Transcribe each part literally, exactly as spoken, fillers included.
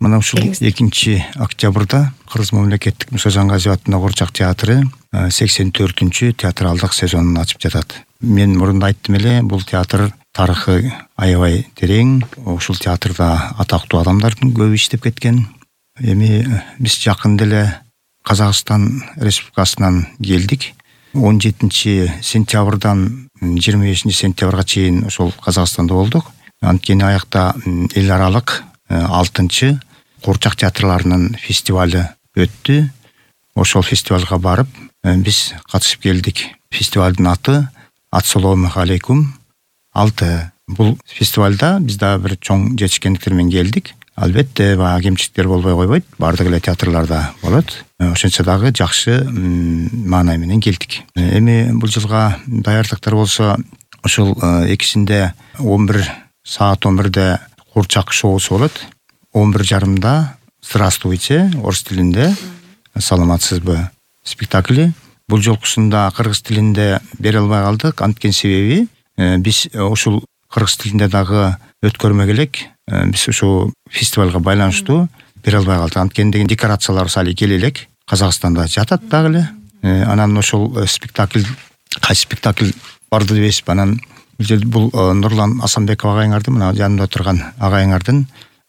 Мына ушул экинчи октябрда Кыргыз мамлекеттик Муса Жаңгазиев атындагы Куурчак театры сексен төртүнчү театралдык сезонун ачып жатат. Мен мурунда айттым эле, бул театр тарыхы аябай терең. Ушул театрда атактуу адамдардын көбү иштеп кеткен. Эми биз жакында эле Казакстан Республикасынан келдик. он жетинчи сентябрдан жыйырма бешинчи сентябрга чейин ошол Казакстанда болдук. Анткени аякта эл аралык алтынчы Куурчак театрларынын фестивалы өттү. Ошол фестивалга барып биз катышып келдик. Фестивалдын аты Ассалому алейкум алты. Бул фестивалда биз дагы бир чоң жетишкендиктер менен келдик. Албетте баягы кемчиликтер болбой койбойт, бардык эле театрларда болот. Ошончо дагы жакшы маанай менен келдик. Эми бул жылга даярдыктар болсо ошол экисинде он бир саат он бирде Куурчак шоусу болот. он бир жарымда Здравствуйте орус тилинде, саламатсызбы спектакли. Бул жолкусунда кыргыз тилинде бере албай калдык. Анткени себеби биз ушул кыргыз тилинде дагы өткөрмөк элек. Биз ушул фестивалга байланыштуу бере албай калдык. Анткени деген декорациялар сали келе элек. Казакстанда жатат дагы эле. Анан ошол спектакль, кайсы спектакль барды дебесиз. Анан бул Нурлан Асанбеков агайыңардын, мына жанымда отурган агайыңардын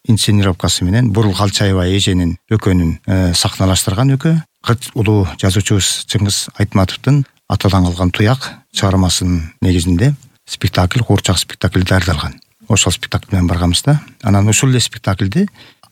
инсценировкасы менен Бурул Калчаева эженин өкөнүн сахналаштырган өкө. Кыргыз улуу жазуучубуз Чыңгыз Айтматовдун Атадан калган туяк чыгармасынын негизинде спектакль, Куурчак спектакль даярдалган. Ошол спектакль менен барганбыз да. Анан ошол эле спектакльди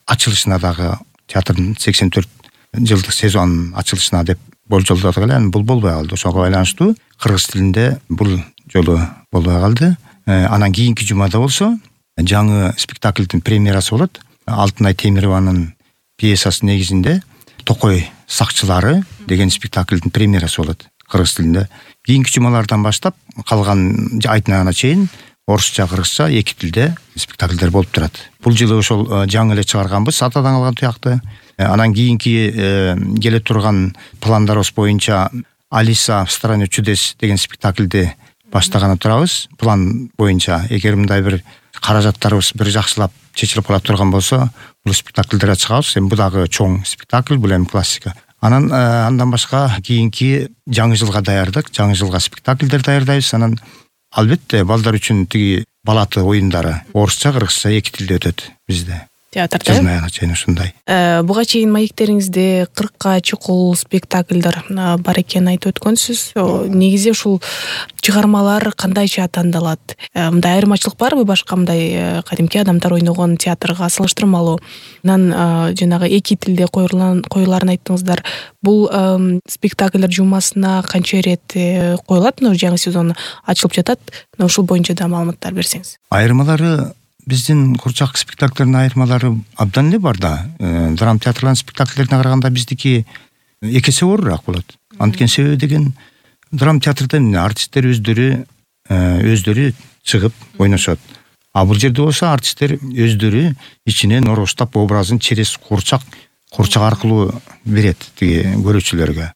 ачылышына дагы театрдын сексен төрт жылдык сезонунун ачылышына деп болжолдодук эле. Анан бул болбой калды. Ошого байланыштуу кыргыз тилинде бул жолу болбой калды. Анан кийинки жумада болсо жаңы спектакльдин премьерасы болот. Алтынай Темированын пьесасы негизинде Токой сакчылары деген спектакльдин премьерасы болот кыргыз тилинде. Кийинки жумалардан баштап калган айтына чейин орусча, кыргызча эки тилде спектакльдер болуп турат. Бул жылы ошол жаңы эле чыгарганбыз Атадан калган туякты. Анан кийинки келе турган пландарыбыз боюнча Алиса в стране чудес деген спектакльди баштаганы турабыз. План боюнча эгер мындай бир каражаттарыбыз бир жакшылап чечилип кала турган болсо, бул спектакльдерге чыгабыз. Эми бул дагы чоң спектакль, бул эми классика. Анан андан башка кийинки жаңы жылга даярдык, жаңы жылга спектакльдер даярдайбыз. Анан албетте балдар үчүн тиги балаты оюндары орусча, кыргызча эки тилде өтөт бизде. Театрда. Жылдын аягына чейин ушундай. Буга чейин маектериңизде кыркка чукул спектакльдер бар экенин айтып өткөнсүз. Негизи ушул чыгармалар кандайча тандалат? Мындай айырмачылык барбы башка мындай кадимки адамдар ойногон театрга салыштырмалуу? Анан жанагы эки тилде коюларын айттыңыздар. Бул спектакльдер жумасына канча ирет коюлат? Мына жаңы сезон ачылып жатат. Ушул боюнча да маалыматтар берсеңиз. Айырмалары биздин Куурчак спектакльдеринин айырмалары абдан эле бар да. Драма театрларынын спектакльдерине караганда биздики эки эсе оорураак болот. Анткени себеби деген драма театрда артисттер өздөрү өздөрү чыгып ойношот. А бул жерде болсо артисттер өздөрү ичинен ороштап образын через Куурчак Куурчак аркылуу берет тиги көрүүчүлөргө.